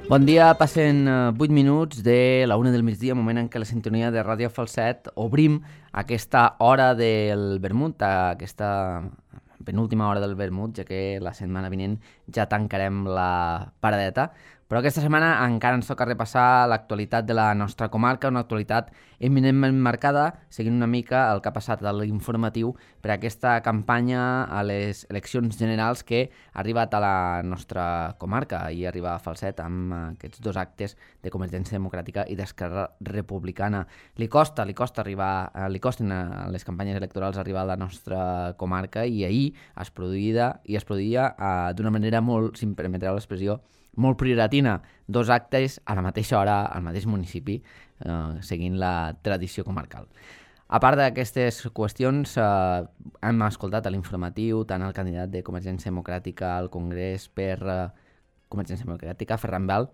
Bon dia, passen 8 minuts de la 1 del migdia, moment en què la sintonia de Ràdio Falset obrim aquesta hora del vermut, aquesta penúltima hora del vermut, ja que la setmana vinent ja tancarem la paradeta. Però aquesta setmana encara ens toca repassar l'actualitat de la nostra comarca, una actualitat eminentment marcada, seguint una mica el que ha passat a l'informatiu per aquesta campanya a les eleccions generals que ha arribat a la nostra comarca. Ahir arriba a Falset amb aquests dos actes de Convergència Democràtica i d'Esquerra Republicana. Li costen a les campanyes electorals arribar a la nostra comarca i ahir es produïa d'una manera molt, si em permetreu l'expressió, molt prioratina, dos actes a la mateixa hora al mateix municipi, seguint la tradició comarcal. A part d'aquestes qüestions, hem escoltat a l'informatiu tant el candidat de Convergència Democràtica al Congrés per Convergència Democràtica, Ferran Bel,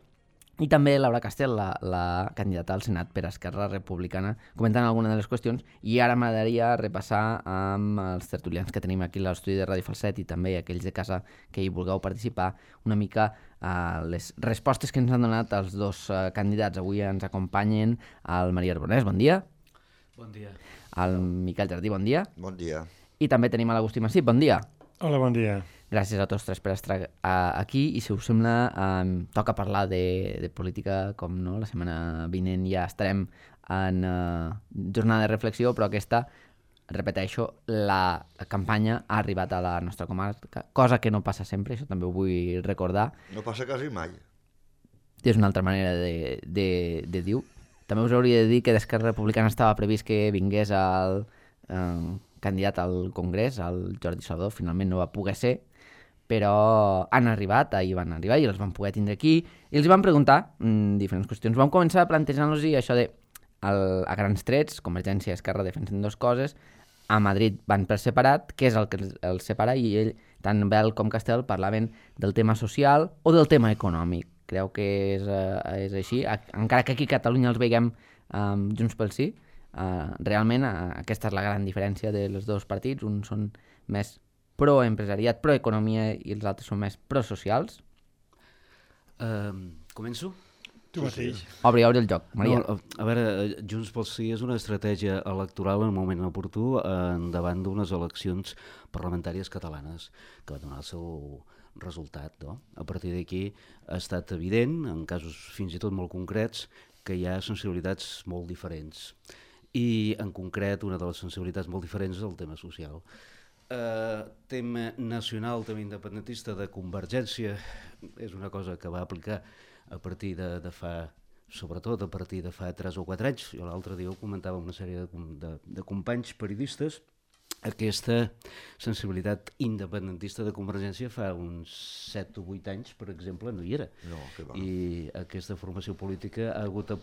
i també Laura Castel, la candidata al Senat per Esquerra Republicana, comentant alguna de les qüestions. I ara m'agradaria repassar amb els tertulians que tenim aquí a l'estudi de Ràdio Falset i també aquells de casa que hi vulgueu participar una mica les respostes que ens han donat els dos candidats. Avui ens acompanyen el Maria Arbonès, bon dia. Bon dia. El Miquel Jardí, bon dia. Bon dia. I també tenim a l'Agustí Massip, bon dia. Hola, bon dia. Gràcies a tots tres per estar aquí i si us sembla toca parlar de política, com no, la setmana vinent ja estarem en jornada de reflexió, però aquesta, repeteixo, la campanya ha arribat a la nostra comarca, cosa que no passa sempre, això també ho vull recordar. No passa quasi mai. És una altra manera de dir-ho. També us hauria de dir que d'Esquerra Republicana estava previst que vingués el candidat al Congrés, el Jordi Salvador, finalment no va poder ser, però ahir van arribar i els van poder tindre aquí i els van preguntar diferents qüestions. Vam començar plantejant-los això de, a grans trets, Convergència i Esquerra defensen dues coses, a Madrid van per separat, què és el que els separa, i ell, tant Bel com Castel, parlaven del tema social o del tema econòmic. Creu que és així, encara que aquí a Catalunya els veiem Junts pel Sí, realment aquesta és la gran diferència dels dos partits, uns són més pro-empresariat, pro-economia i els altres són més pro-socials. Començo? Tu mateix. Obri el joc, Maria. No, a veure, Junts pel Sí és una estratègia electoral en un moment oportú davant d'unes eleccions parlamentàries catalanes que va donar el seu resultat. No? A partir d'aquí ha estat evident, en casos fins i tot molt concrets, que hi ha sensibilitats molt diferents. I en concret una de les sensibilitats molt diferents és el tema social. Tema nacional, tema independentista de Convergència és una cosa que va aplicar a partir de fa, sobretot a partir de fa 3 o 4 anys. Jo l'altre dia ho comentava amb una sèrie de companys periodistes. Aquesta sensibilitat independentista de Convergència fa uns 7 o 8 anys, per exemple, no hi era. No, que va. I aquesta formació política ha hagut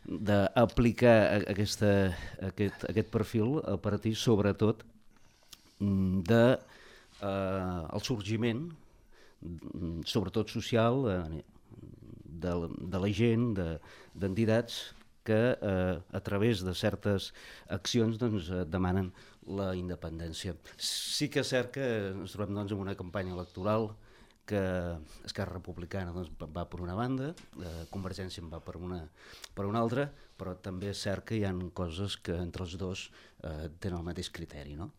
d'aplicar aquest perfil a partir, sobretot, del sorgiment, sobretot social, de la gent, d'entitats que a través de certes accions demanen la independència. Sí que és cert que ens trobem en una campanya electoral que Esquerra Republicana va per una banda, Convergència en va per una altra, però també és cert que hi ha coses que entre els dos tenen el mateix criteri, no?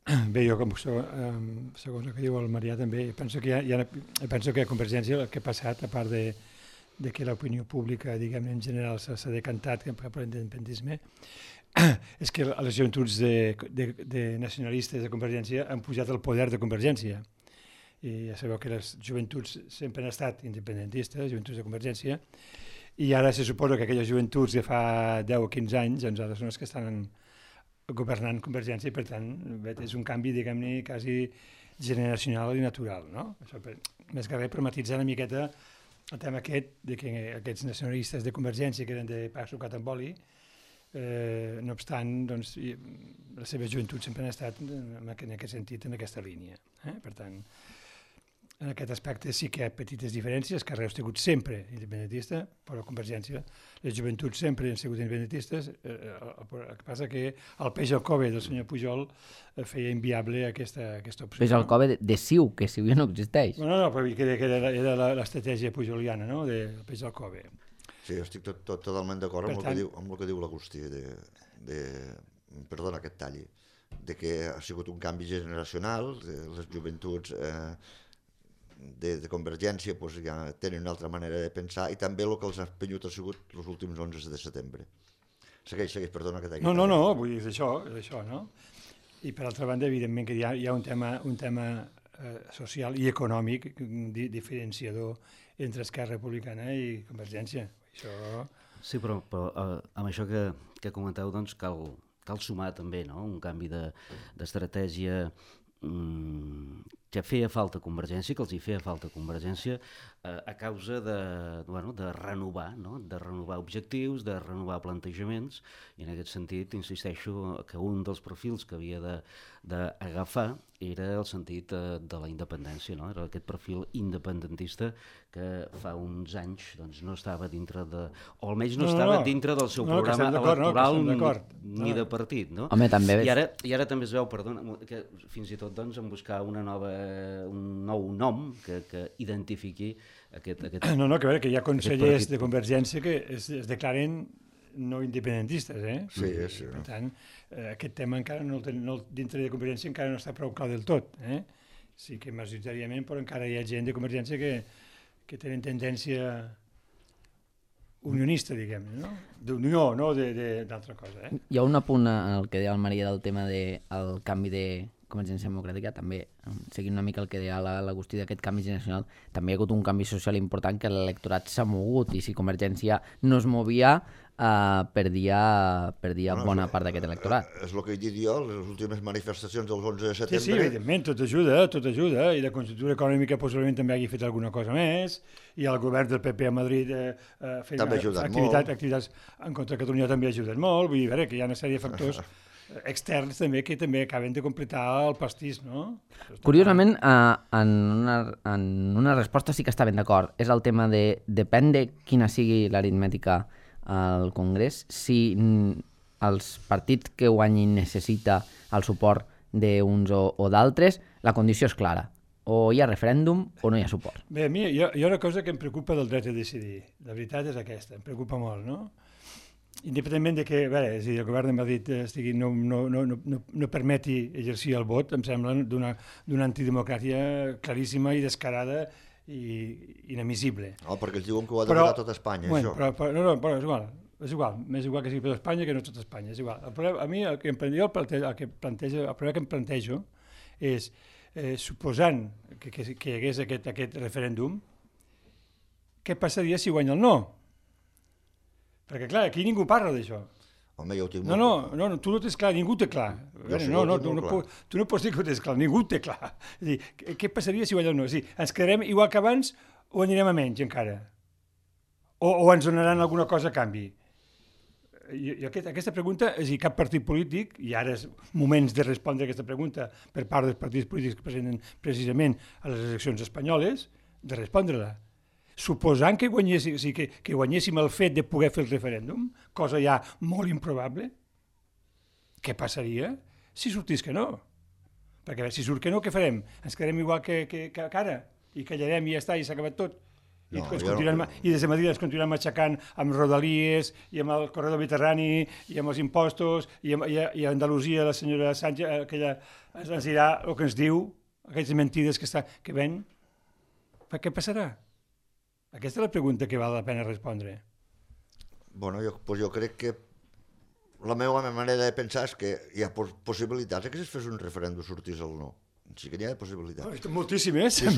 Bé, jo segons el que diu el Marià també penso que a Convergència el que ha passat, a part de que l'opinió pública, diguem en general, s'ha decantat cap a l'independentisme, és que les joventuts de nacionalistes de Convergència han pujat al poder de Convergència. I ja sabeu que les joventuts sempre han estat independentistes, joventuts de Convergència, i ara se suposa que aquelles joventuts de fa 10 o 15 anys doncs ara són les que estan governant Convergència i, per tant, és un canvi, diguem-ne, quasi generacional i natural, no? Això més que res per matitzar una miqueta el tema aquest de que aquests nacionalistes de Convergència que eren de pa sucat amb oli, no obstant, doncs, la seva joventut sempre han estat en aquest sentit, en aquesta línia. Per tant, En aquest aspecte sí que hi ha petites diferències. Carreu ha sigut sempre independentista, però Convergència, les joventuts sempre han sigut independentistes. El que passa que el peix al cove del senyor Pujol feia inviable aquesta opció. Peix al cove de CiU, que CiU ja no existeix. No, però era l'estratègia pujoliana, no?, del peix al cove. Sí, estic totalment d'acord amb el que diu l'Agustí, perdona que et talli, de que ha sigut un canvi generacional, les joventuts de Convergència pues, ja tenen una altra manera de pensar i també el que els ha empenyut ha sigut els últims 11 de setembre. Segueix, perdona que t'hagi tallat. No, vull dir, és això, no? I per altra banda, evidentment que hi ha un tema social i econòmic diferenciador entre Esquerra Republicana i Convergència. Això... Sí, però amb això que comenteu, doncs cal sumar també, no?, un canvi d'estratègia que feia falta Convergència, que els hi feia falta Convergència a causa de renovar, no?, de renovar objectius, de renovar plantejaments, i en aquest sentit insisteixo que un dels profils que havia d'agafar era el sentit de la independència, no?, era aquest perfil independentista que fa uns anys doncs, no estava dintre de... o almenys no estava dintre del seu programa electoral ni de partit, no? Home, també... I ara també es veu, perdona, que fins i tot doncs, en buscar un nou nom que identifiqui aquest... No, que a veure, que hi ha consellers de Convergència que es declaren no independentistes, eh? Sí. Per tant, aquest tema encara dintre de Convergència encara no està prou clar del tot, eh? Sí que majoritàriament, però encara hi ha gent de Convergència que tenen tendència unionista, diguem-ne, no? D'unió, no d'altra cosa, eh? Hi ha un apunt al que deia el Maria del tema del canvi de Convergència Democràtica, també, seguint una mica el que deia l'Agustí d'aquest canvi generacional, també hi ha hagut un canvi social important que l'electorat s'ha mogut, i si Convergència no es movia, perdia bona part d'aquest electorat. És el que he dit jo, les últimes manifestacions del 11 de setembre... Sí, evidentment, tot ajuda, i la conjuntura econòmica possiblement també hagi fet alguna cosa més, i el govern del PP a Madrid fent activitats en contra de Catalunya també ha ajudat molt, vull dir que hi ha una sèrie de factors externs també que també acaben de completar el pastís, no? Curiosament, en una resposta sí que estaven d'acord. És el tema de depèn de quina sigui l'aritmètica al Congrés, si els partits que guanyin necessita el suport d'uns o d'altres, la condició és clara. O hi ha referèndum o no hi ha suport. Bé, a mi hi ha una cosa que em preocupa del dret a decidir. La veritat és aquesta, em preocupa molt, no? Independentment de que el govern de Madrid no permeti exercir el vot, em sembla d'una antidemocràcia claríssima i descarada i inadmissible. No, perquè els diuen que ho ha de votar tot Espanya, això. Però és igual, més igual que sigui tot Espanya que no tot Espanya, és igual. A mi el problema que em plantejo és, suposant que hi hagués aquest referèndum, què passaria si guanya el no? Perquè, clar, aquí ningú parla d'això. Home, jo ho tinc molt clar. No, tu no tens clar, ningú té clar. Tu no pots dir que ho tens clar, ningú té clar. És dir, què passaria si guanya el no? És dir, ens quedarem igual que abans o anirem a menys encara? O ens donaran alguna cosa a canvi? I aquesta pregunta, és a dir, cap partit polític, i ara és moments de respondre aquesta pregunta per part dels partits polítics que presenten precisament a les eleccions espanyoles, de respondre-la. Suposant que guanyéssim el fet de poder fer el referèndum, cosa ja molt improbable, què passaria si sortís que no? Perquè si surt que no, què farem? Ens quedarem igual que ara i callarem i ja està, i s'ha acabat tot. I des de Madrid ens continuem matxacant amb Rodalies i amb el corredor mediterrani i amb els impostos i a Andalusia la senyora Sánchez que ens dirà el que ens diu, aquestes mentides que ven. Què passarà? Aquesta és la pregunta que val la pena respondre. Bueno, jo crec que la meva manera de pensar és que hi ha possibilitats que si es fes un referèndum sortís el no. Sí que n'hi ha possibilitats. Moltíssimes. Si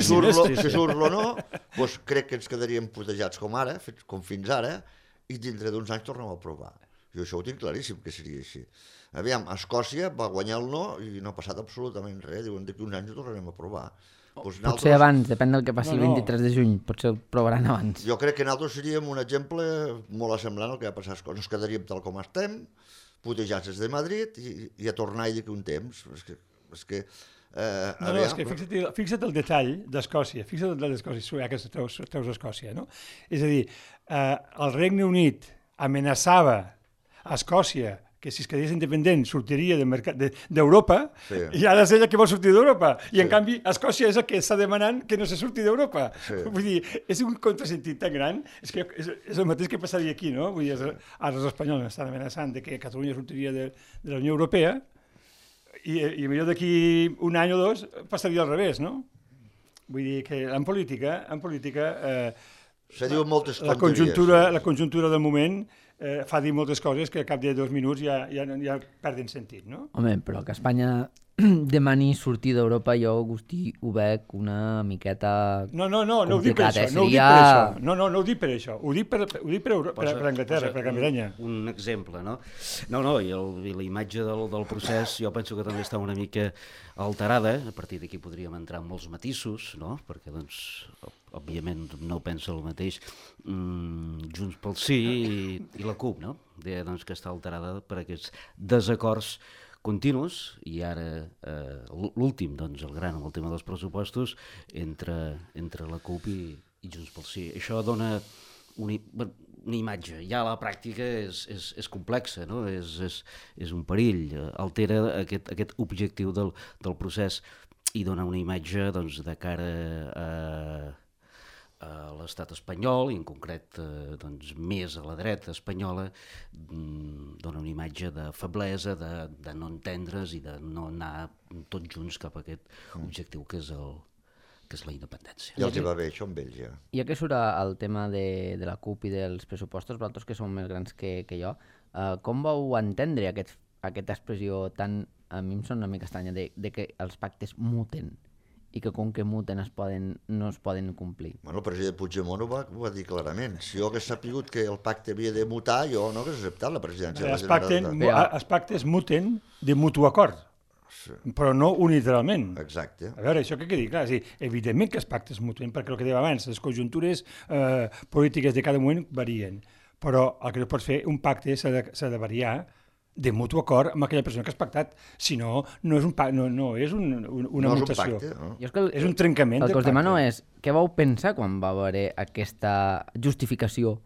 surt el no, doncs crec que ens quedaríem putejats com fins ara, i dintre d'uns anys tornem a provar. Jo això ho tinc claríssim que seria així. Aviam, Escòcia va guanyar el no i no ha passat absolutament res. Diuen que uns anys ho tornarem a provar. Potser abans, depèn del que passi el 23 de juny, potser ho provaran abans. Jo crec que nosaltres seríem un exemple molt semblant al que va passar a Escòcia. Ens quedaríem tal com estem, putejats des de Madrid i a tornar-hi d'aquí un temps. És que No, és que fixa't el detall d'Escòcia, fixa't el detall d'Escòcia, ja que treus Escòcia, no? És a dir, el Regne Unit amenaçava a Escòcia que si es quedés independent sortiria d'Europa, i ara és ella que vol sortir d'Europa, i en canvi Escòcia és el que està demanant que no se surti d'Europa. Vull dir, és un contrasentit tan gran, és que és el mateix que passaria aquí, no? Vull dir, ara els espanyols estan amenaçant de que Catalunya sortiria de la Unió Europea, i millor d'aquí un any o dos passaria al revés, no? Vull dir que en política se diuen moltes tonteries. La conjuntura del moment fa dir moltes coses que al cap de 2 minuts ja perden sentit, no? Home, però que Espanya demani sortir d'Europa jo, Agustí, ho veig una miqueta No ho dic per això, no ho dic per això, ho dic per Anglaterra, per Gran Bretanya. Un exemple, no? No, i la imatge del procés jo penso que també està una mica alterada, a partir d'aquí podríem entrar en molts matisos, no? Perquè, doncs, òbviament no pensa el mateix Junts pel Sí i la CUP, no? Doncs que està alterada per aquests desacords continus, i ara l'últim, doncs el gran, amb el tema dels pressupostos, entre la CUP i Junts pel Sí. Això dona una imatge, ja a la pràctica és complexa, no? És un perill, altera aquest objectiu del procés i dona una imatge, doncs, de cara a l'estat espanyol, i en concret doncs, més a la dreta espanyola, dona una imatge de feblesa, de no entendre's i de no anar tots junts cap a aquest objectiu que és la independència. Ja els hi va bé això amb ells, ja. Ja que surt el tema de la CUP i dels pressupostos, vosaltres que sou més grans que jo, com vau entendre aquesta expressió tan, a mi em sona una mica estranya, de que els pactes muten i que com que muten no es poden complir? Bueno, el president Puigdemont ho va dir clarament. Si jo hagués sapigut que el pacte havia de mutar, jo no hagués acceptat la presidència de la Generalitat. Els pactes muten de mutu acord, però no unilateralment. Exacte. A veure, això que quedi clar, evidentment que els pactes muten, perquè el que deia abans, les conjuntures polítiques de cada moment varien, però el que no pots fer, un pacte s'ha de variar de mutu acord amb aquella persona que has pactat. Si no, no és una mutació. És un trencament. El que us demano és, què vau pensar quan va haver aquesta justificació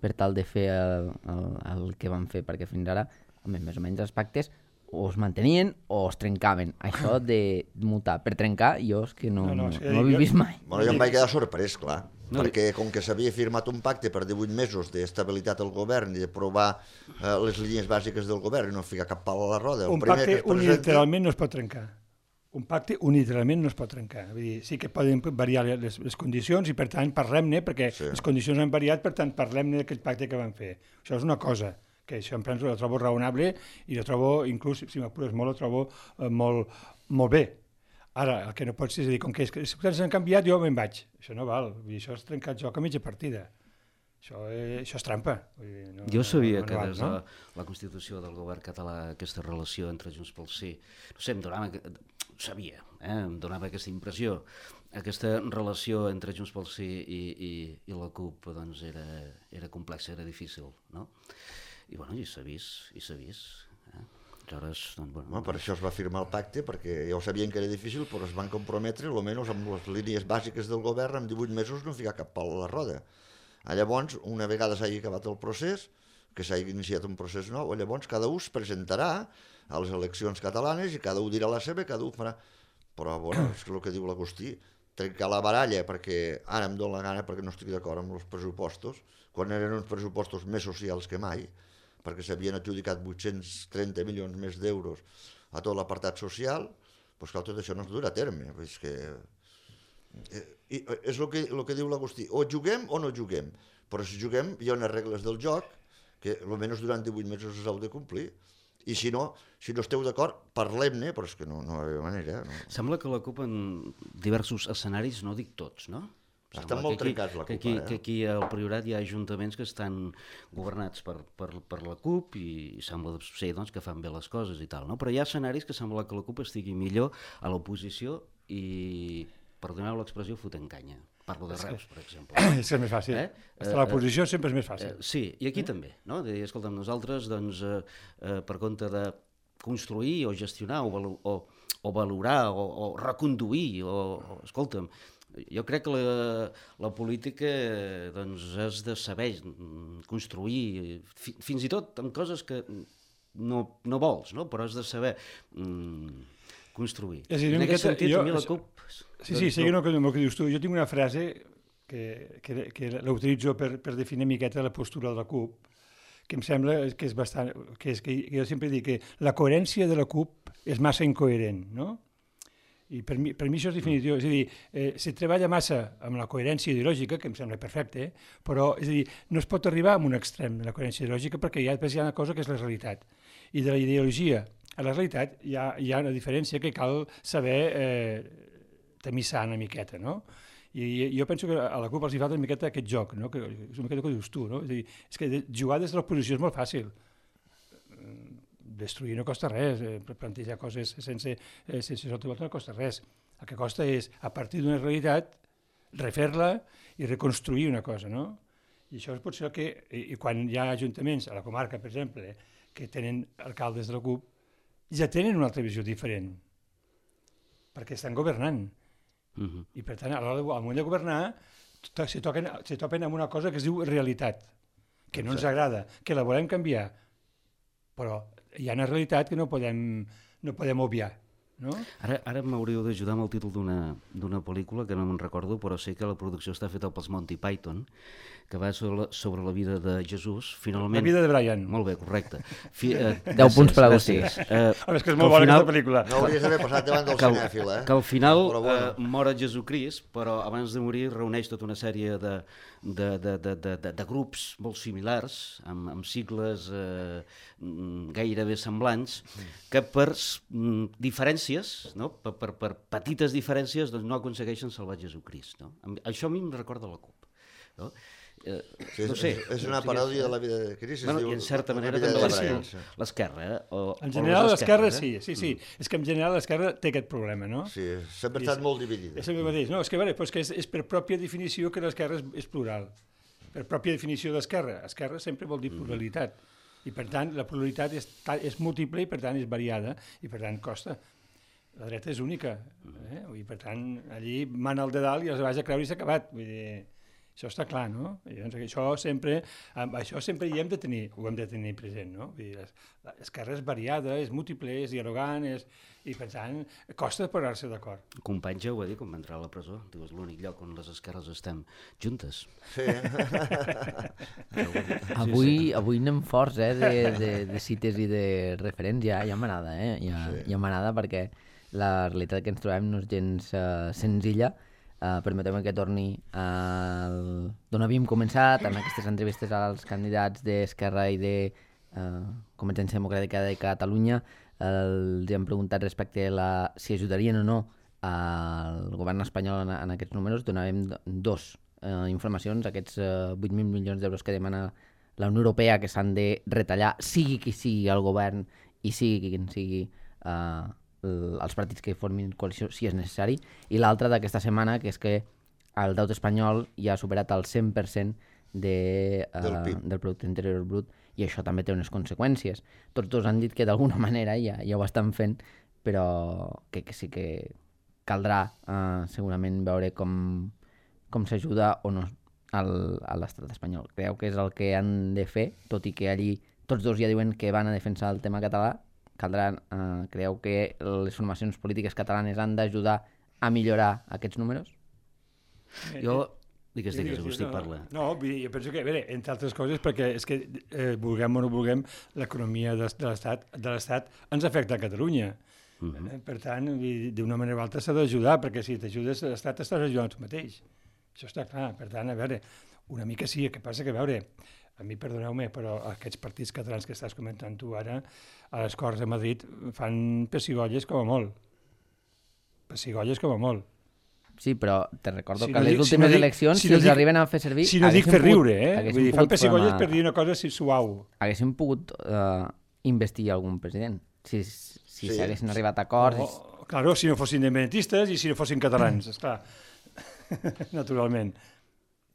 per tal de fer el que van fer? Perquè fins ara, més o menys els pactes o es mantenien o es trencaven. Això de mutar per trencar, jo és que no ho he vist mai. Bueno, jo em vaig quedar sorprès, clar, perquè com que s'havia firmat un pacte per 18 mesos d'estabilitat al govern i d'aprovar les línies bàsiques del govern i no ficar cap pal a la roda. Un pacte unilateralment no es pot trencar. Un pacte unilateralment no es pot trencar. Vull dir, sí que poden variar les condicions i, per tant, parlem-ne, perquè les condicions han variat, per tant, parlem-ne d'aquell pacte que van fer. Això és una cosa que això em penso, la trobo raonable i la trobo, inclús, si m'apures molt, la trobo molt bé. Ara, el que no pots és dir, com que les coses han canviat, jo me'n vaig. Això no val, això és trencat joc a mitja partida. Això és trampa. Jo sabia que des de la Constitució del govern català aquesta relació entre Junts pel Sí, no sé, em donava aquesta impressió. Aquesta relació entre Junts pel Sí i la CUP doncs era complexa, era difícil, no? I bueno, i s'ha vist. Aleshores, doncs, bueno, per això es va firmar el pacte, perquè ja ho sabien que era difícil, però es van comprometre, almenys amb les línies bàsiques del govern, en 18 mesos no ficar cap pal a la roda. Llavors, una vegada s'hagi acabat el procés, que s'hagi iniciat un procés nou, llavors cada un es presentarà a les eleccions catalanes i cada un dirà la seva, cada un farà... Però, bueno, és el que diu l'Agustí, trencar la baralla, perquè ara em dóna la gana perquè no estic d'acord amb els pressupostos, quan eren uns pressupostos més socials que mai, perquè s'havien adjudicat 830 milions més d'euros a tot l'apartat social, doncs clar, tot això no es durà a terme. És que és el que diu l'Agustí, o juguem o no juguem, però si juguem hi ha unes regles del joc que almenys durant 18 mesos s'heu de complir, i si no esteu d'acord, parlem-ne, però és que no hi ha manera. Sembla que la CUP en diversos escenaris, no dic tots, no? Estan molt trencats la CUP. Que aquí al Priorat hi ha ajuntaments que estan governats per la CUP i sembla ser doncs, que fan bé les coses i tal, no? Però hi ha escenaris que sembla que la CUP estigui millor a l'oposició i, perdoneu l'expressió, fotent canya. Parlo de Reus, per exemple. És que és més fàcil. Estar a l'oposició sempre és més fàcil. Sí, i aquí també, no? De dir, escolta'm, nosaltres, doncs, per compte de construir o gestionar o o valorar, o reconduir, escolta'm, jo crec que la política doncs, has de saber construir, fins i tot amb coses que no vols, no? Però has de saber construir. És a dir, en aquest sentit, a mi la CUP... Sí, seguint el que dius tu, jo tinc una frase que l'utilitzo per definir una miqueta la postura de la CUP, que em sembla que és bastant... que jo sempre dic que la coherència de la CUP és massa incoherent, no? I per mi això és definitiu, és a dir, se treballa massa amb la coherència ideològica, que em sembla perfecte, però és a dir, no es pot arribar a un extrem de la coherència ideològica perquè hi ha una cosa que és la realitat. I de la ideologia a la realitat hi ha una diferència que cal saber tamissar una miqueta, no? I jo penso que a la CUP els hi falta una miqueta aquest joc, no? Que és una miqueta que dius tu, no? És a dir, és que jugar des de l'oposició és molt fàcil. Destruir no costa res, plantejar coses sense sota volta no costa res. El que costa és, a partir d'una realitat, refer-la i reconstruir una cosa, no? I això és potser el que... I quan hi ha ajuntaments, a la comarca, per exemple, que tenen alcaldes de la CUP, ja tenen una altra visió diferent, perquè estan governant. I per tant, al moment de governar, se topen amb una cosa que es diu realitat, que no ens agrada, que la volem canviar, però hi ha una realitat que no podem obviar. No? Ara m'hauríeu d'ajudar amb el títol d'una pel·lícula que no me'n recordo, però sé que la producció està feta pels Monty Python, que va sobre la vida de Jesús. Finalment... La vida de Brian. Molt bé, correcte. 10 punts per Agustí. És que és molt bona aquesta pel·lícula. No hauries d'haver passat davant del cinèfil, Que al final mor Jesucrist, però abans de morir reuneix tota una sèrie de grups molt similars, amb sigles gairebé semblants, que per diferències, no? per petites diferències, doncs no aconsegueixen salvar Jesucrist. No? Això a mi em recorda la CUP. No? No sé, és una paròdia de la vida de Crist. I en certa manera també l'esquerra. En general l'esquerra sí. És que en general l'esquerra té aquest problema, no? Sí, sempre ha estat molt dividida. És el mateix. No, és que, és per pròpia definició que l'esquerra és plural. Per pròpia definició d'esquerra. Esquerra sempre vol dir pluralitat. I per tant, la pluralitat és múltiple i per tant és variada i per tant costa. La dreta és única. I per tant, allí mana el de dalt i els vaig a creure i s'ha acabat. Vull dir... Això està clar, no? I doncs això sempre hi hem de tenir, ho hem de tenir present, no? Vull dir, l'esquerra és variada, és múltiple, és dialogant, i per tant, costa posar-se d'acord. Company ja ho va dir quan va entrar a la presó, diu, és l'únic lloc on les esquerres estem juntes. Sí. Avui anem forts, de cites i de referents, ja m'agrada, ja m'agrada perquè la realitat que ens trobem no és gens senzilla. Permeteu-me que torni d'on havíem començat, en aquestes entrevistes als candidats d'Esquerra i de Convergència Democràtica de Catalunya. Els hem preguntat respecte a si ajudarien o no al govern espanyol en aquests números. Donàvem dos informacions, aquests 8.000 milions d'euros que demana la Unió Europea que s'han de retallar, sigui qui sigui el govern i sigui quin sigui els partits que formin coalició si és necessari, i l'altra d'aquesta setmana, que és que el deute espanyol ja ha superat el 100% del producte interior brut, i això també té unes conseqüències. Tots dos han dit que d'alguna manera ja ho estan fent, però que sí que caldrà segurament veure com s'ajuda o no a l'estat espanyol. Creu que és el que han de fer, tot i que allí tots dos ja diuen que van a defensar el tema català. Creu que les formacions polítiques catalanes han d'ajudar a millorar aquests números? Jo... Digues, Agustí, parla. No, jo penso que, entre altres coses, perquè és que, vulguem o no vulguem, l'economia de l'Estat ens afecta a Catalunya. Per tant, d'una manera o altra s'ha d'ajudar, perquè si t'ajudes a l'Estat t'estàs ajudant tu mateix. Això està clar. Per tant, a veure, una mica sí, el que passa que, a veure, a mi, perdoneu-me, però aquests partits catalans que estàs comentant tu ara, a les Corts de Madrid, fan pessigolles com a molt. Pessigolles com a molt. Sí, però te recordo que a les últimes eleccions, si els arriben a fer servir... Si no dic fer riure, Vull dir, fan pessigolles per dir una cosa suau. Haguéssim pogut investir algun president, si s'haguessin arribat a acords... Claro, si no fossin independentistes i si no fossin catalans, esclar, naturalment.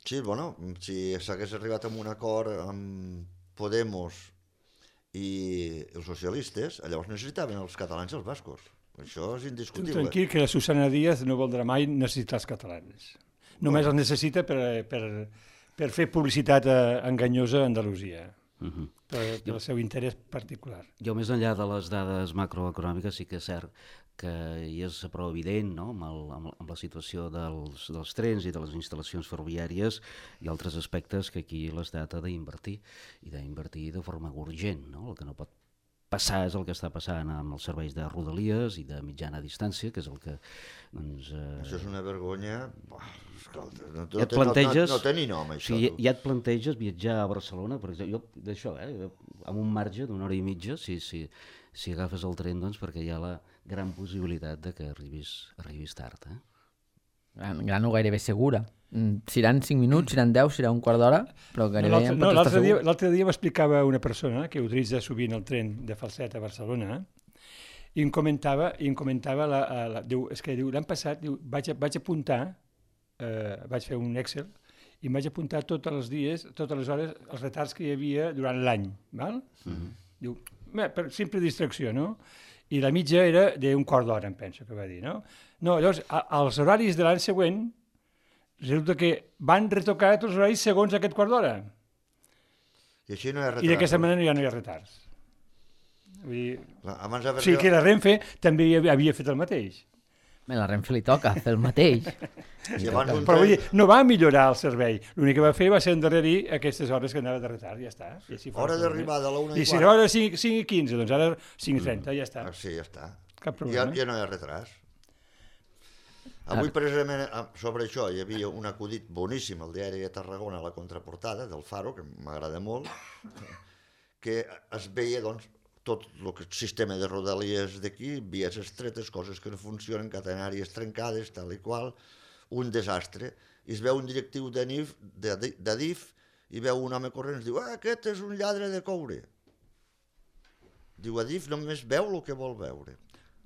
Sí, bueno, si s'hagués arribat a un acord amb Podemos i els socialistes, llavors necessitaven els catalans i els bascos. Això és indiscutible. Tranquil, que la Susana Díaz no voldrà mai necessitar els catalans. Només els necessita per fer publicitat enganyosa a Andalusia, pel seu interès particular. Jo, més enllà de les dades macroeconòmiques, sí que és cert que hi és prou evident, no? amb la situació dels trens i de les instal·lacions ferroviàries i altres aspectes que aquí l'Estat ha d'invertir, i d'invertir de forma urgent. No? El que no pot passar és el que està passant amb els serveis de rodalies i de mitjana distància, que és el que... Doncs, això és una vergonya... Escolta, no té ni nom, això. O sigui, ja et planteges viatjar a Barcelona, per exemple, jo d'això, amb un marge d'una hora i mitja, si agafes el tren, doncs, perquè hi ha la gran possibilitat de que arribis tard. Gran o gairebé segura. Seran 5 minuts, seran 10, serà un quart d'hora, però gairebé ja en pots estar segur. L'altre dia m'explicava una persona que utilitza sovint el tren de Falset a Barcelona i em comentava diu, és que l'any passat vaig apuntar, vaig fer un Excel i em vaig apuntar tots els dies, totes les hores, els retards que hi havia durant l'any. Diu, per simple distracció, no? I la mitja era d'un quart d'hora, em penso que va dir, no? No, llavors, als horaris de l'any següent, resulta que van retocar tots els horaris segons aquest quart d'hora. I així no hi ha retards. I d'aquesta manera ja no hi ha retards. Vull dir, o sigui que la Renfe també havia fet el mateix. A la Renfe li toca fer el mateix. Però vull dir, no va millorar el servei. L'únic que va fer va ser endarrerir aquestes hores que anava de retard, ja està. Hora d'arribada a la 1:15. I si era hora 5:15, doncs ara 5:30, ja està. Sí, ja està. Cap problema. Ja no hi ha retards. Avui, precisament, sobre això, hi havia un acudit boníssim al diari de Tarragona, a la contraportada del Faro, que m'agrada molt, que es veia, doncs, tot el sistema de rodalies d'aquí, vies estretes, coses que no funcionen, catenàries trencades, tal i qual, un desastre. I es veu un directiu d'Adif i veu un home corrent i diu aquest és un lladre de coure. Diu, Adif només veu el que vol veure.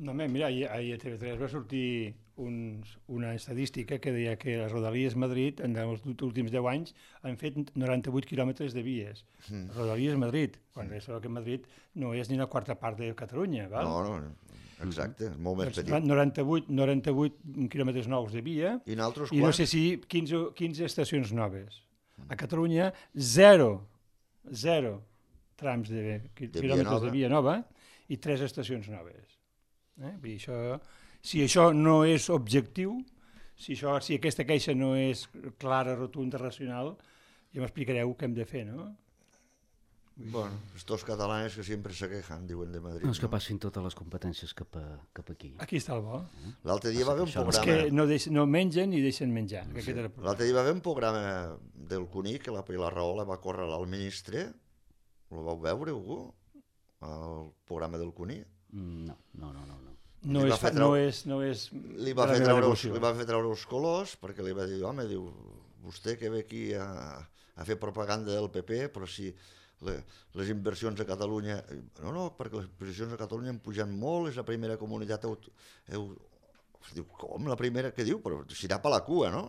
No, mira, ahir a TV3 va sortir una estadística que deia que les Rodalies Madrid en els últims 10 anys han fet 98 quilòmetres de vies. Rodalies Madrid, quan això que Madrid no és ni una quarta part de Catalunya. Val? No, exacte, és molt més petit. 98 quilòmetres nous de via i no sé si 15 estacions noves. A Catalunya, zero trams de quilòmetres de via nova i 3 estacions noves. Vull dir, si això no és objectiu, si aquesta queixa no és clara, rotunda, racional, ja m'explicareu què hem de fer, no? Bueno, estos catalanes que sempre se quejan, diuen de Madrid. No, és que passin totes les competències cap aquí. Aquí està el bo. L'altre dia va haver un programa... És que no mengen i deixen menjar. L'altre dia va haver un programa del Cuní, que la Pilar Rahola va córrer al ministre. Ho vau veure, algú? El programa del Cuní? No. No és li va fer treure els colors perquè li va dir, home, diu, vostè que ve aquí a fer propaganda del PP, però si les inversions a Catalunya... No, perquè les inversions a Catalunya han pujat molt, és la primera comunitat... Diu, com la primera? Què diu? Però si anar per la cua, no?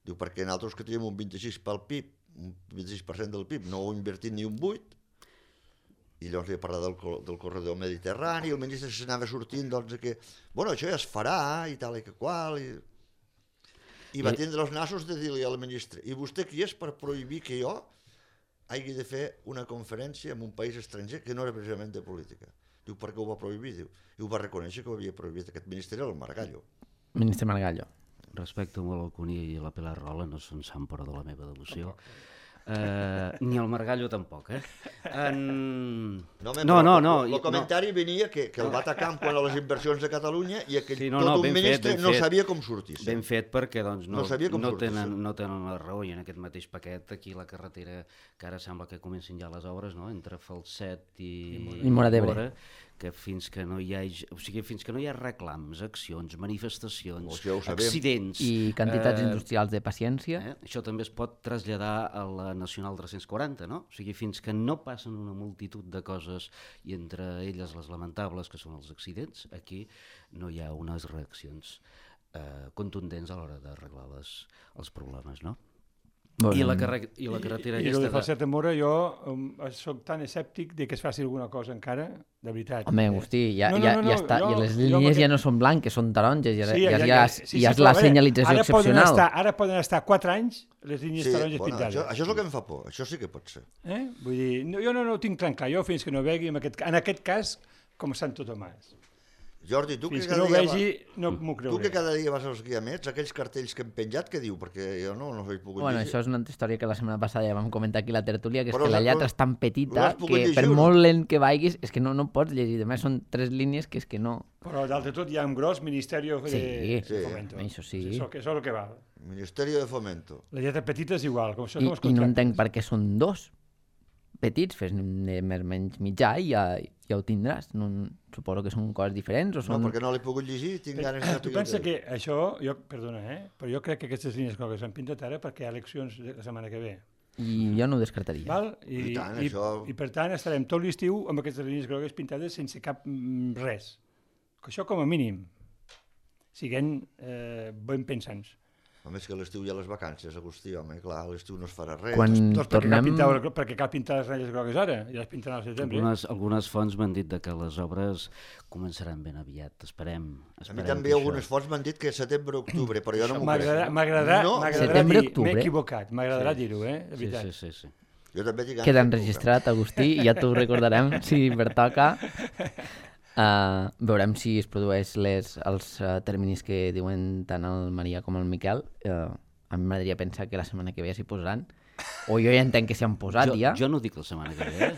Diu, perquè nosaltres que tenim un 26% pel PIB, un 26% del PIB, no ho invertit ni un 8%, i llavors li parlat del corredor mediterrani, i el ministre s'anava sortint, doncs, que, bueno, això ja es farà, i tal i que qual, i va tindre els nassos de dir-li al ministre, i vostè qui és per prohibir que jo hagi de fer una conferència en un país estranger que no era precisament de política? Diu, per què ho va prohibir? Diu, i ho va reconèixer que ho havia prohibit aquest ministre, el Margallo. Ministre Margallo. Respecte molt al Cuní i la Pilar Rahola, no són sant però de la meva devoció. Ni el Margallo tampoc, El comentari venia que el va atacar quant a les inversions de Catalunya i que tot un ministre no sabia com sortir. Ben fet perquè no tenen la raó, i en aquest mateix paquet aquí la carretera, que ara sembla que comencin ja les obres, entre Falset i Móra d'Ebre, que fins que no hi ha reclams, accions, manifestacions, accidents... I quantitats industrials de paciència. Això també es pot traslladar a la Nacional 340, no? O sigui, fins que no passen una multitud de coses, i entre elles les lamentables, que són els accidents, aquí no hi ha unes reaccions contundents a l'hora d'arreglar els problemes, no? I la carretera I el aquesta... de Falset a Mora, jo soc tan escèptic de que es faci alguna cosa encara, de veritat. Home, Agustí, ja està, jo- i les jo línies amb ja no són blanques, són taronges, ja Sí, és la però, senyalització excepcional. Ara poden estar 4 anys les línies taronges pintades. Això és el que em fa por, això sí que pot ser. Vull dir, jo no ho tinc tan clar, jo fins que no vegi, en aquest cas, com Sant Tomàs. Jordi, tu que Fins que cada no ho dia vegi, no m'ho tu creuré. que cada dia vas als guiamets, aquells cartells que hem penjat, què diu? Perquè jo no he pogut Bueno, llegir. això és una altra història que la setmana passada ja vam comentar aquí a la tertúlia, que és Però que la l'has- lletra és tan petita l'has pogut que llegir per o no? molt lent que vagis és que no pots llegir. A més, són 3 línies que és que no... Però d'altre tot hi ha un gros Ministeri de Sí, Fomento. això sí. Això és el que val. Ministerio de Fomento. La lletra petita és igual, com això I són els no contractes. entenc per què són 2 petits, fes més menys mitjà i ja ho tindràs. No, suposo que són coses diferents o No, són... perquè no l'he pogut llegir i tinc ganes de Tu saber pensa el que això, perdona, però jo crec que aquestes línies grogues s'han pintat ara perquè hi ha eleccions la setmana que ve. I jo no ho descartaria. Val? I tant, això- I per tant estarem tot l'estiu amb aquestes línies grogues pintades sense cap res. Que això com a mínim siguem ben pensants. A més que a l'estiu hi ha les vacances, Agustí, home, clar, a l'estiu no es farà res. Quan Doncs tornem... perquè cal pintar les ratlles grogues ara, i les pintaran al setembre. Algunes fonts m'han dit que les obres començaran ben aviat, esperem A mi també algunes fonts m'han dit que setembre-octubre, però jo no m'ho crec. M'agradarà No, Setembre, dir, octubre. m'he equivocat, m'agradarà dir-ho, de veritat. Sí. Jo també tinc ganes Queda de enregistrat, Agustí, i ja t'ho recordarem si pertoca. Veurem si es produeix els terminis que diuen tant el Maria com el Miquel. A mi m'agradaria pensar que la setmana que ve s'hi posaran. O jo ja entenc que s'hi han posat ja. Jo no dic la setmana que ve,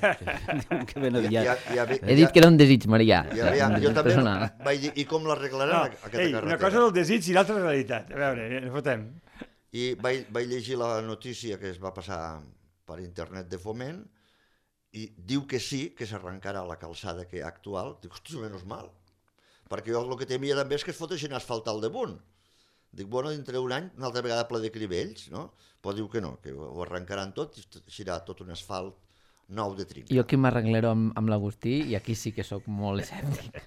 Diuen que ben aviat. He dit que era un desig, Maria. Jo també personal. vaig dir, i com l'arreglaran aquesta carretera? Una cosa del desig i l'altra realitat. A veure, no fotem. I vaig llegir la notícia que es va passar per internet de Foment i diu que sí, que s'arrencarà la calçada que actual. Dic, hòstia, menys mal. Perquè jo el que temia també és que es fotessin asfalt al damunt. Dic, bueno, dintre d'un any, una altra vegada ple de crivells, no? Però diu que no, que ho arrencaran tot i serà tot un asfalt nou de trinca. Jo aquí m'arreglaré amb l'Agustí i aquí sí que sóc molt escèptic.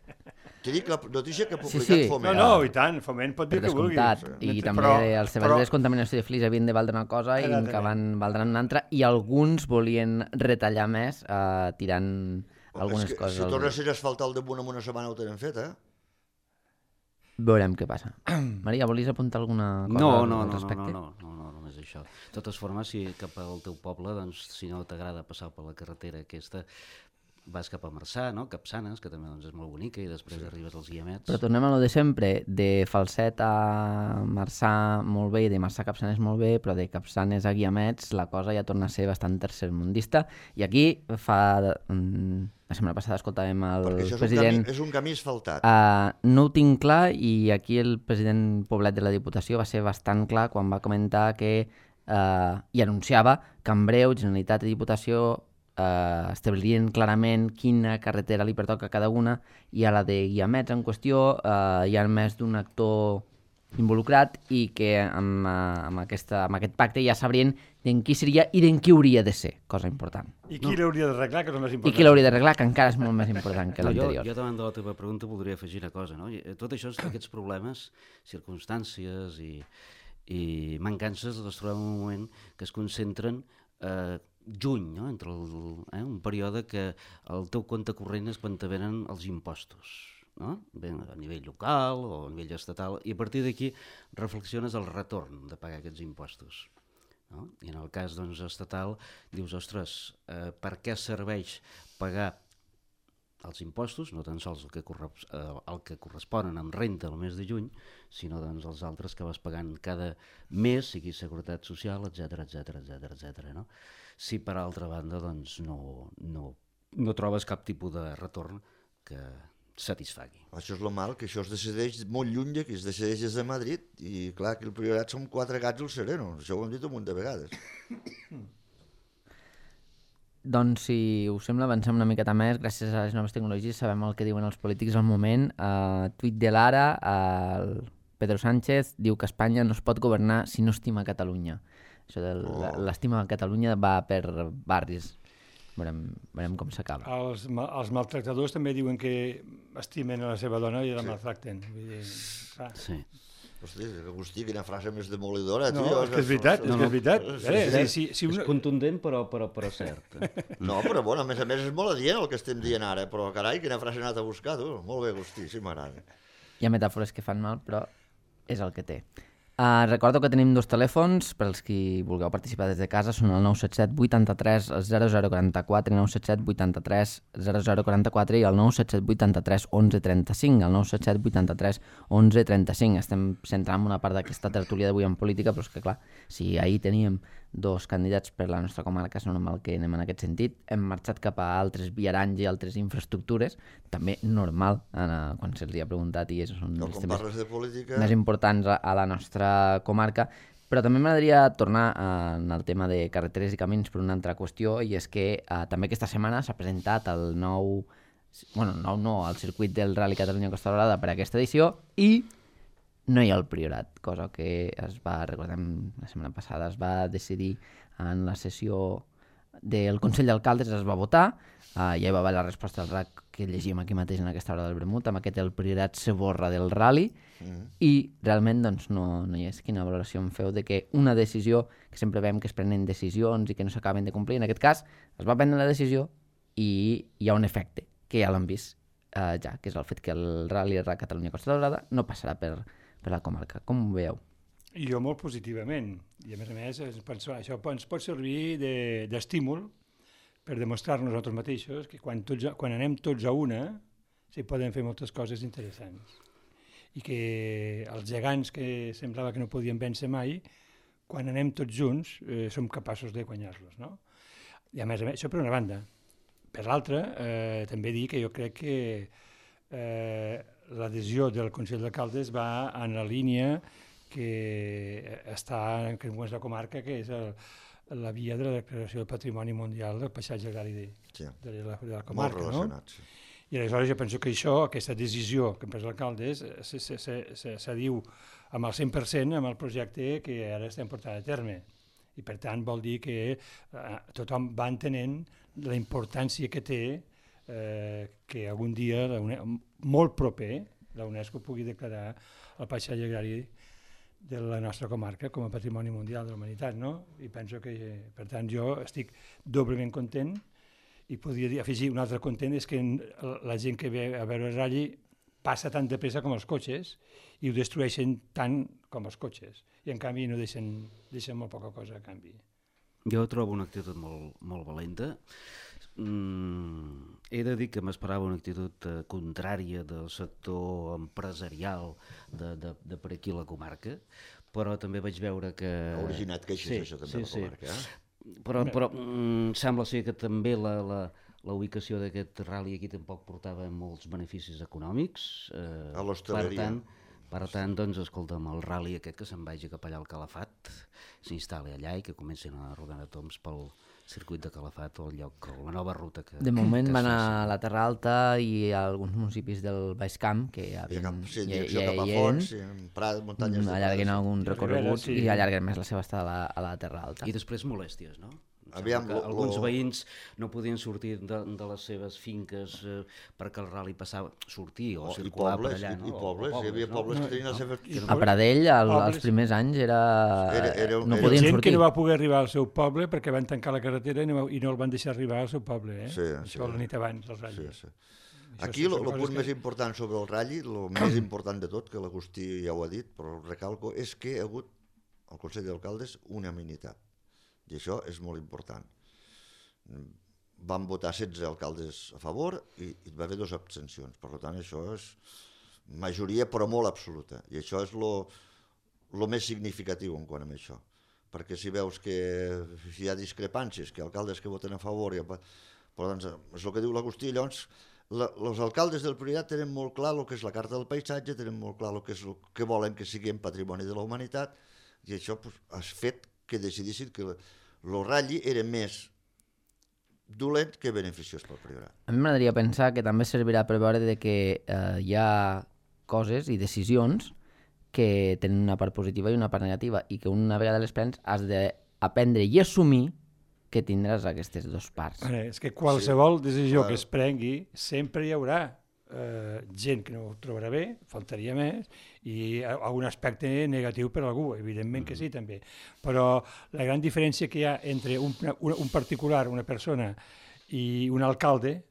T'he dit la notícia que ha publicat Sí. Foment. No, i tant, Foment pot dir Per el que vulgui. descomptat. I també els treballs de descontaminació de flix havien de valdre una cosa i que valdran una altra, i alguns volien retallar més tirant algunes coses. Si tornessin a asfaltar el damunt en una setmana ho tenen fet, Veurem què passa. Maria, volies apuntar alguna cosa al respecte? No, només això. De totes formes, si cap al teu poble, doncs, si no t'agrada passar per la carretera aquesta, vas cap a Marçà, no? Capçanes, que també doncs, és molt bonica, i després arribes als Guiamets. Però tornem a lo de sempre, de Falset a Marçà molt bé i de Marçà a Capçanes molt bé, però de Capçanes a Guiamets la cosa ja torna a ser bastant tercermundista. I aquí la setmana passada escoltàvem el president... és un camí asfaltat. No ho tinc clar, i aquí el president Poblet de la Diputació va ser bastant clar quan va comentar que i anunciava que en breu Generalitat i Diputació establirien clarament quina carretera li pertoca a cada una, i a la de Guiamets en qüestió hi ha més d'un actor involucrat i que amb aquest pacte ja sabrien d'en qui seria i d'en qui hauria de ser, cosa important. I qui l'hauria d'arreglar, que és el més important. I qui l'hauria d'arreglar, que encara és molt més important que l'anterior. Jo davant de la teva pregunta voldria afegir una cosa, no? Tot això, aquests problemes, circumstàncies i mancances, les trobem en un moment que es concentren juny, no? Entre un període que el teu compte corrent és quan te venen els impostos, no? Bé, a nivell local o a nivell estatal, i a partir d'aquí reflexiones el retorn de pagar aquests impostos. No? I en el cas doncs, estatal dius, ostres, per què serveix pagar els impostos, no tan sols el que corresponen amb renta el mes de juny, sinó doncs, els altres que vas pagant cada mes, sigui Seguretat Social, etc. No? Si per altra banda doncs, no trobes cap tipus de retorn que satisfagui. Això és lo mal, que això es decideix molt lluny d'aquí, es decideix des de Madrid, i clar, que el Priorat són 4 gats al sereno, això ho hem dit un munt de vegades. Doncs, si us sembla, avancem una miqueta més. Gràcies a les noves tecnologies sabem el que diuen els polítics al moment. Tuit de l'Ara, el Pedro Sánchez diu que Espanya no es pot governar si no estima Catalunya. Això de l'estima a Catalunya va per barris. Veurem com s'acaba. Els maltractadors també diuen que estimen a la seva dona i la maltracten. Vull dir, Sí. Hosti, Agustí, quina frase més demolidora, No, tio. és que és veritat, és que és veritat. És contundent, però cert. No, però bueno, a més és molt adient el que estem dient ara, però carai, quina frase he anat a buscar, tu. Molt bé, Agustí, sí m'agrada. Hi ha metàfores que fan mal, però és el que té. Recordo que tenim 2 telèfons per als qui vulgueu participar des de casa, són el 977 83 0044 i 977 83 0044 i el 977 83 11 35, el 977 83 11 35. Estem centrant una part d'aquesta tertúlia d'avui en política, però és que clar, si ahir teníem 2 candidats per la nostra comarca, és normal que anem en aquest sentit. Hem marxat cap a altres viaranys i altres infraestructures, també normal, quan se'ls ha preguntat, i això són No, els quan temes parles de política... més importants a la nostra comarca, però també m'agradaria tornar en el tema de carreteres i camins per una altra qüestió, i és que també aquesta setmana s'ha presentat el el circuit del Rally Catalunya Costa Daurada per a aquesta edició, i no hi ha el Priorat, cosa que recordem, la setmana passada es va decidir en la sessió del Consell d'Alcaldes, es va votar, ja hi va haver la resposta del RAC que llegim aquí mateix en aquesta hora del vermut, amb aquest el Priorat se borra del Rally, i realment doncs, no hi és. Quina valoració em feu de que una decisió, que sempre veiem que es prenen decisions i que no s'acaben de complir, en aquest cas es va prendre la decisió i hi ha un efecte, que ja l'hem vist ja, que és el fet que el Rally RAC Catalunya Costa Daurada no passarà per la comarca. Com ho veieu? Jo molt positivament, i a més penso, això ens pot servir d'estímul per demostrar nosaltres mateixos que quan anem tots a una s'hi poden fer moltes coses interessants i que els gegants que semblava que no podien vèncer mai, quan anem tots junts som capaços de guanyar-los, no? I a més, això per una banda. Per l'altra, també dir que jo crec que l'adhesió del Consell d'Alcaldes va en la línia que està en la comarca, que és la via de la declaració del Patrimoni Mundial del Paisatge Agrari de la comarca. Molt relacionat, no? Sí. I aleshores jo penso que aquesta decisió que han pres l'alcaldes s'adiu amb el 100% amb el projecte que ara estem portant a terme. I per tant vol dir que tothom va entenent la importància que té que algun dia, molt proper, la UNESCO pugui declarar el paisatge agrari de la nostra comarca com a patrimoni mundial de la humanitat, no? I penso que, per tant, jo estic doblement content, i podria afegir un altre content, és que la gent que ve a veure el Rally passa tan de pressa com els cotxes i ho destrueixen tant com els cotxes, i en canvi no deixen molt poca cosa a canvi. Jo trobo una actitud molt valenta. He de dir que m'esperava una actitud contrària del sector empresarial de per aquí la comarca, però també vaig veure que... Ha originat queixes, això també, la comarca, Però sembla ser que també la ubicació d'aquest rally aquí tampoc portava molts beneficis econòmics. A l'hostaleria. Per tant, doncs, escolta'm, el rally aquest que se'n vagi cap allà al Calafat, s'instal·li allà i que comencin a rodar a toms pel circuit de Calafat o el lloc, la nova ruta que... De moment van a la Terra Alta i a alguns municipis del Baix Camp, que ja cap a fons, Prat, muntanyes de Prat. Allarguen algun recorregut i allarguen més la seva estada a la Terra Alta. I després molèsties, no? Alguns veïns no podien sortir de les seves finques perquè el rally passava, sortir o circular per allà. I pobles, hi havia pobles que tenien les seves... A Pradell, als primers anys, no podien sortir. Gent que no va poder arribar al seu poble perquè van tancar la carretera i no el van deixar arribar al seu poble. Això la nit abans, el rally. Aquí el punt més important sobre el rally, el més important de tot, que l'Agustí ja ho ha dit, però el recalco, és que hi ha hagut al Consell d'Alcaldes unanimitat. I això és molt important. Van votar 16 alcaldes a favor i hi va haver 2 abstencions. Per tant, això és majoria, però molt absoluta. I això és el més significatiu en quant a això. Perquè si veus que hi ha discrepàncies, que alcaldes que voten a favor... Però doncs, és el que diu l'Agustí. Llavors, els alcaldes del Priorat tenen molt clar el que és la Carta del Paisatge, tenen molt clar el que volen que siguin patrimoni de la humanitat, i això ha fet que decidissin que el Rally era més dolent que beneficiós pel Priorat. A mi m'agradaria pensar que també servirà per veure que hi ha coses i decisions que tenen una part positiva i una part negativa, i que una vegada les prens has d'aprendre i assumir que tindràs aquestes 2 parts. És que qualsevol decisió que es prengui sempre hi haurà gent que no ho trobarà bé, faltaria més, i algun aspecte negatiu per a algú, evidentment que sí també. Però la gran diferència que hi ha entre un particular, una persona, i un alcalde,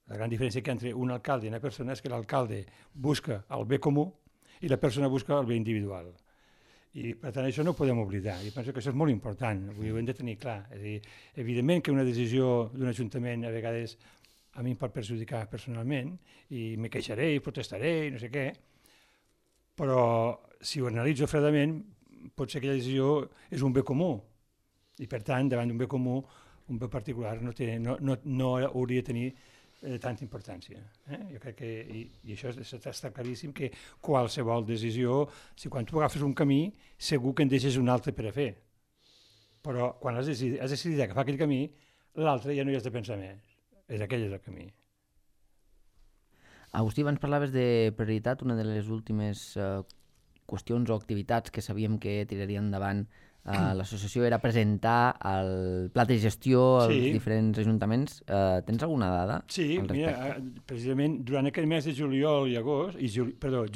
la gran diferència que hi ha entre un alcalde i una persona és que l'alcalde busca el bé comú i la persona busca el bé individual. I per tant això no ho podem oblidar, i penso que això és molt important, ho hem de tenir clar. És a dir, evidentment que una decisió d'un ajuntament a vegades a mi em pot perjudicar personalment i me queixaré i protestaré i no sé què, però si ho analitzo fredament pot ser que aquella decisió és un bé comú i per tant davant d'un bé comú un bé particular no hauria de tenir tanta importància. Jo crec que, i això està claríssim, que qualsevol decisió, si quan tu agafes un camí segur que en deixes un altre per a fer, però quan has decidit agafar aquell camí l'altre ja no hi has de pensar més. Aquell és el camí. Agustí, abans parlaves de prioritat, una de les últimes qüestions o activitats que sabíem que tiraria endavant l'associació era presentar el pla de gestió als diferents ajuntaments. Tens alguna dada? Sí, mira, precisament durant aquest mes de juliol i agost,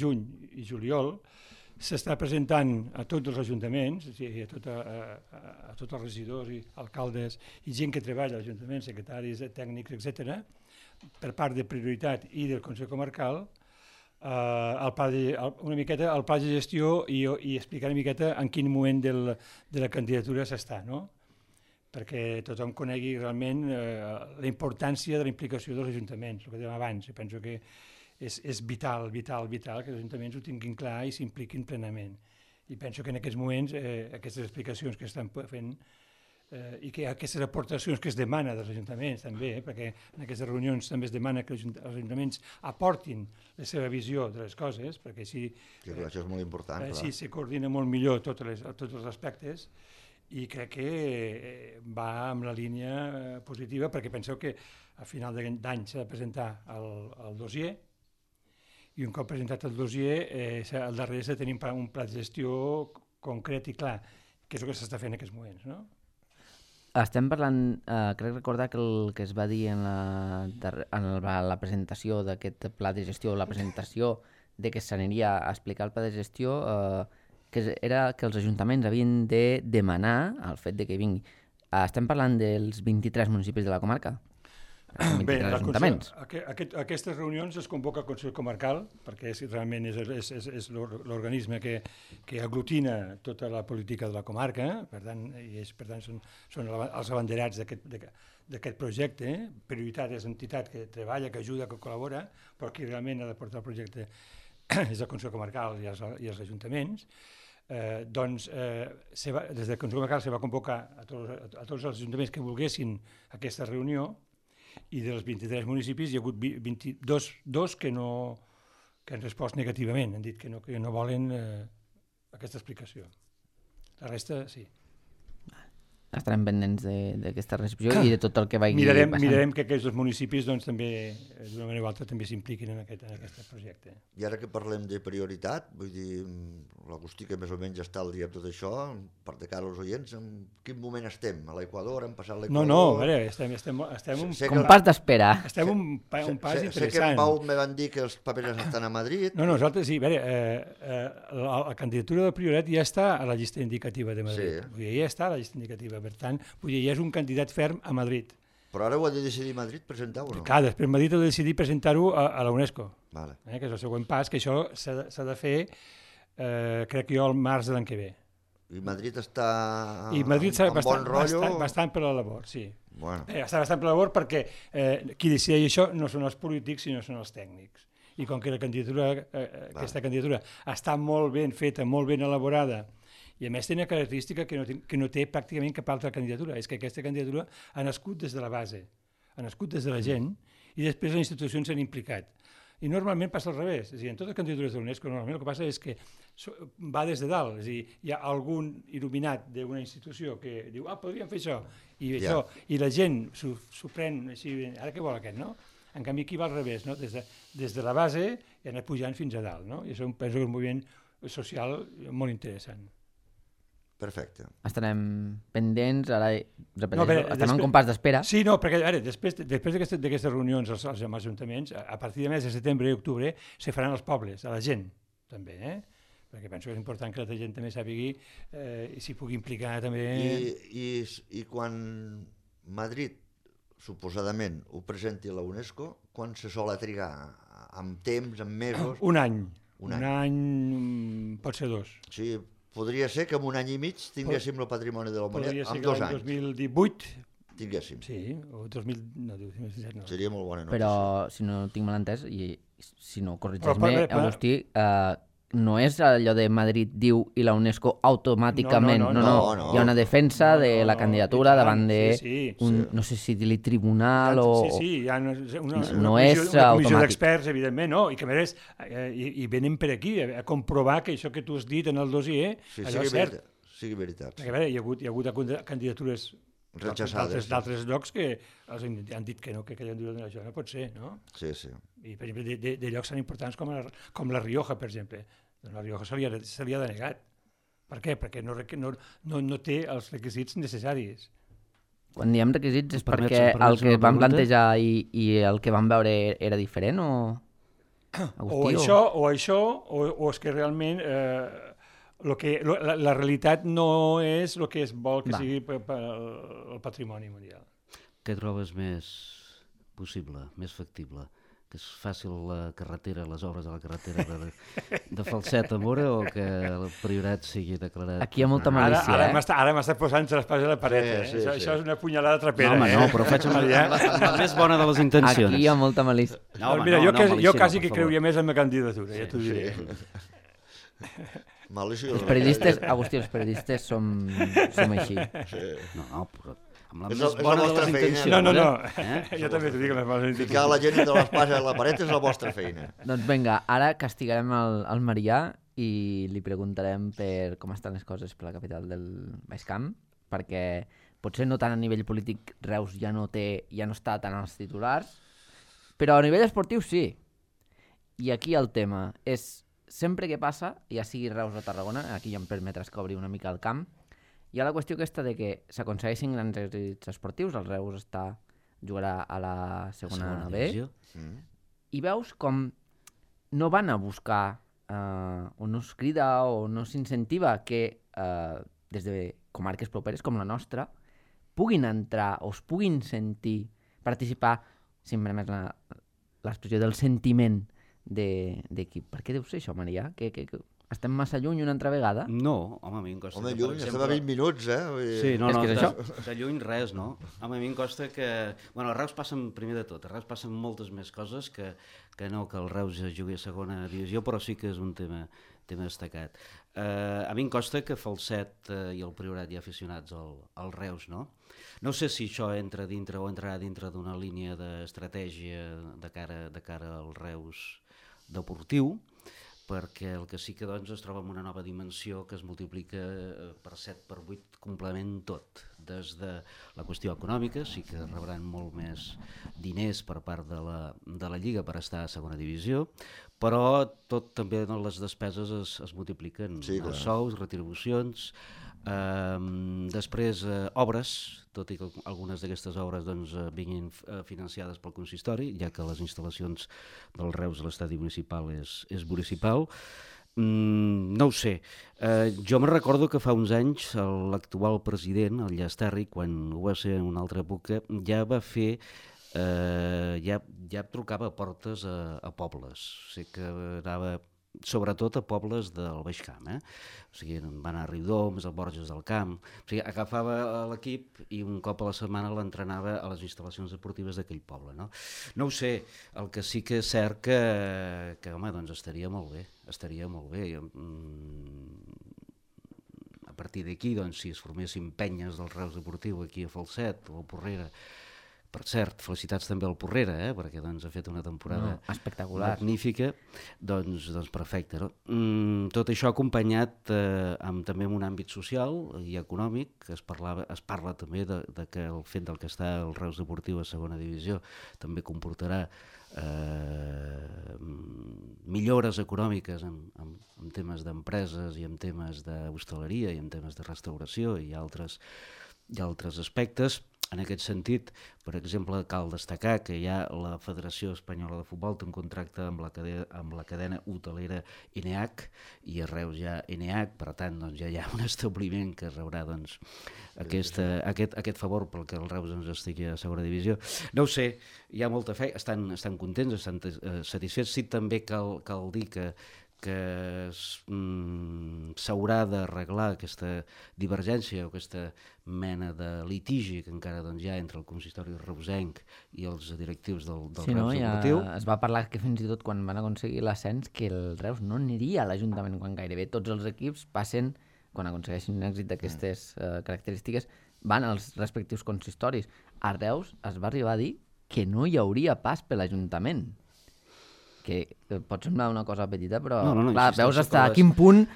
juny i juliol, s'està presentant a tots els ajuntaments, a tots els regidors i alcaldes i gent que treballa als ajuntaments, secretaris, tècnics, etc., per part de prioritat i del Consell Comarcal, una miqueta el pla de gestió i explicar una miqueta en quin moment de la candidatura s'està, no? Perquè tothom conegui realment la importància de la implicació dels ajuntaments, el que dèiem abans. Jo penso que és vital que els ajuntaments ho tinguin clar i s'impliquin plenament. I penso que en aquests moments aquestes explicacions que estan fent i que aquestes aportacions que es demana dels ajuntaments també, perquè en aquestes reunions també es demana que els ajuntaments aportin la seva visió de les coses, perquè així això és molt important, sí, se coordina molt millor tots els aspectes, i crec que va amb la línia positiva, perquè penseu que a final d'any s'ha de presentar el dossier, i un cop presentat el dossier, al darrere s'ha de tenir un pla de gestió concret i clar, que és el que s'està fent en aquests moments, no? Estem parlant, crec recordar que el que es va dir en la presentació d'aquest pla de gestió, la presentació de que s'aniria a explicar el pla de gestió, que era que els ajuntaments havien de demanar el fet de que vingui. Estem parlant dels 23 municipis de la comarca? Bé, aquestes reunions es convoca el Consell Comarcal, perquè realment és l'organisme que aglutina tota la política de la comarca, per tant són els abanderats d'aquest projecte. Prioritat és entitat que treballa, que ajuda, que col·labora, però qui realment ha de portar el projecte és el Consell Comarcal i els ajuntaments. Des del Consell Comarcal se va convocar a tots els ajuntaments que volguessin aquesta reunió, i dels 23 municipis hi ha hagut 22 que han respost negativament, han dit que no volen aquesta explicació. La resta, sí. Estarem pendents d'aquesta recepció i de tot el que vagi passant. Mirarem que aquests municipis també, d'una manera o altra, també s'impliquin en aquest projecte. I ara que parlem de prioritat, vull dir, l'Agustí, que més o menys està al dia amb tot això, per de cara als oients, en quin moment estem? A l'Equador? Hem passat l'Equador? No, a veure, estem un pas d'espera. Estem un pas interessant. Sé que en Pau me van dir que els papers estan a Madrid. No, nosaltres sí, a veure, la candidatura de prioritat ja està a la llista indicativa de Madrid. Ja està a la llista indicativa. Per tant, ja és un candidat ferm a Madrid. Però ara ho ha de decidir Madrid presentar-ho o no? Clar, després Madrid ha de decidir presentar-ho a la UNESCO, vale. Que és el següent pas, que això s'ha de fer, crec jo, al març de l'any que ve. I Madrid està en bon rotllo? Bastant per la labor, sí. Bueno. Està bastant per la labor perquè qui decideix això no són els polítics, sinó són els tècnics. I com que aquesta candidatura està molt ben feta, molt ben elaborada, i a més té una característica que no té pràcticament cap altra candidatura, és que aquesta candidatura ha nascut des de la base, ha nascut des de la gent, i després les institucions s'han implicat. I normalment passa al revés, és a dir, en totes les candidatures de l'UNESCO normalment el que passa és que va des de dalt, és a dir, hi ha algun il·luminat d'una institució que diu, podríem fer això, i la gent s'ho pren així, ara què vol aquest, no? En canvi aquí va al revés, no? Des de la base i anar pujant fins a dalt, no? I això penso que és un moviment social molt interessant. Perfecte. Estarem pendents, ara repeteixo, No, bé, estem en compàs d'espera. Sí, no, perquè a veure, després d'aquestes reunions als ajuntaments, a partir de mes de setembre i octubre se faran als pobles, a la gent, també, perquè penso que és important que la gent també sàpigui i s'hi pugui implicar també. I quan Madrid, suposadament, ho presenti a la UNESCO, quan se sol trigar? Amb temps, amb mesos? Un any. Un any, pot ser 2. Sí, podria ser que en un any i mig tinguéssim el patrimoni de la humanitat, en 2 anys. Podria ser que l'any 2018 tinguéssim. Sí, o 2017 no. Seria molt bona notícia. Però, si no tinc mal entès, i si no corregeix-me, Agustí, no és allò de Madrid diu i la UNESCO automàticament, no. Hi ha una defensa de la candidatura davant de un, no sé si dir tribunal o... Sí, hi ha una automàtic. comissió d'experts, evidentment, no? I que a més, i venen per aquí a comprovar que això que tu has dit en el dossier, allò és cert. Sigui veritat. Perquè, a veure, hi ha hagut candidatures d'altres llocs que han dit que no, que això no pot ser, no? Sí, sí. I, per exemple, de llocs tan importants com la Rioja, per exemple. Doncs la Rioja se li ha denegat. Per què? Perquè no té els requisits necessaris. Quan diem requisits és perquè el que van plantejar i el que van veure era diferent o... Agustí, o és que realment la realitat no és el que es vol que sigui el patrimoni mundial. Què trobes més possible, més factible? Que és fàcil la carretera, les obres de la carretera de Falset a Móra o que el Priorat sigui declarat... Aquí hi ha molta malícia, Ara m'està posant les pases a la paret, Sí. Això és una punyalada trapera. No, home, no, però faig amb la més bona de les intencions. Aquí hi ha molta malícia. Mira, jo quasi que creuria més en la candidatura, ja t'ho diré. Malícia. Els periodistes, Agustí, els periodistes som així. No, però amb la És més la bona de vostra les feina. intencions. No. Jo també t'ho dic. Ficar la gent entre l'espasa i la paret és la vostra feina. Doncs vinga, ara castigarem el Marià i li preguntarem per com estan les coses per la capital del Baix Camp, perquè potser no tant a nivell polític Reus ja no està tant als titulars, però a nivell esportiu sí. I aquí el tema és, sempre que passa, ja sigui Reus o Tarragona, aquí ja em permetràs que obri una mica el camp, hi ha la qüestió aquesta de que s'aconsegueixin grans èxits esportius, el Reus jugarà a la segona B, i veus com no van a buscar o no es crida o no s'incentiva que des de comarques properes com la nostra puguin entrar o es puguin sentir, participar, si em permets l'expressió del sentiment d'equip. Per què deu ser això, Marià? Que estem massa lluny una altra vegada? No, home, a mi em costa... Home, lluny, estem a 20 minuts, Sí, no, és que és això. De lluny res, no? Home, a mi em costa que... Bueno, a Reus passen, primer de tot, a Reus passen moltes més coses que no que el Reus jugui a segona divisió, però sí que és un tema destacat. A mi em costa que Falset i el Priorat hi ha aficionats al Reus, no? No sé si això entra dintre o entrarà dintre d'una línia d'estratègia de cara al Reus deportiu, perquè el que sí que doncs, es troba en una nova dimensió que es multiplica per 7, per 8, complement tot. Des de la qüestió econòmica, sí que rebran molt més diners per part de la Lliga per estar a segona divisió, però tot també les despeses es multipliquen, els sous, retribucions, després obres, tot i que algunes d'aquestes obres doncs, vinguin financiades pel consistori, ja que les instal·lacions del Reus a l'estadi municipal és municipal. No ho sé, jo me recordo que fa uns anys l'actual president, el Llastari, quan ho va ser en una altra època, ja va fer ja trucava portes a pobles, sé que anava sobretot a pobles del Baix Camp, o sigui, va anar a Riudoms, a Borges del Camp, o sigui, agafava l'equip i un cop a la setmana l'entrenava a les instal·lacions esportives d'aquell poble, no? No ho sé, el que sí que és cert que home, doncs estaria molt bé. A partir d'aquí, doncs, si es formessin penyes del Reus Deportiu aquí a Falset o a Porrera, Per cert, felicitats també al Porrera, perquè doncs, ha fet una temporada espectacular, magnífica, doncs perfecte. No? Tot això acompanyat també en un àmbit social i econòmic, es parla també de que el fet del que està el Reus Deportiu a segona divisió també comportarà millores econòmiques en temes d'empreses i en temes d'hostaleria i en temes de restauració i altres aspectes. En aquest sentit, per exemple, cal destacar que ja la Federació Espanyola de Futbol té un contracte amb la cadena hotelera ENEAC i a Reus hi ha ENEAC, per tant doncs, ja hi ha un establiment que rebrà doncs, aquest favor pel que el Reus ens estigui a segona divisió. No ho sé, hi ha molta fe, estan contents, estan satisfets. Sí, també cal dir que s'haurà d'arreglar aquesta divergència o aquesta mena de litigi que encara doncs, hi ha entre el consistori reusenc i els directius del Reus Deportiu. Es va parlar que fins i tot quan van aconseguir l'ascens que el Reus no aniria a l'Ajuntament quan gairebé tots els equips passen, quan aconsegueixin un èxit d'aquestes característiques, van als respectius consistoris. A Reus es va arribar a dir que no hi hauria pas per l'Ajuntament, que pot semblar una cosa petita, però clar, veus fins a quin punt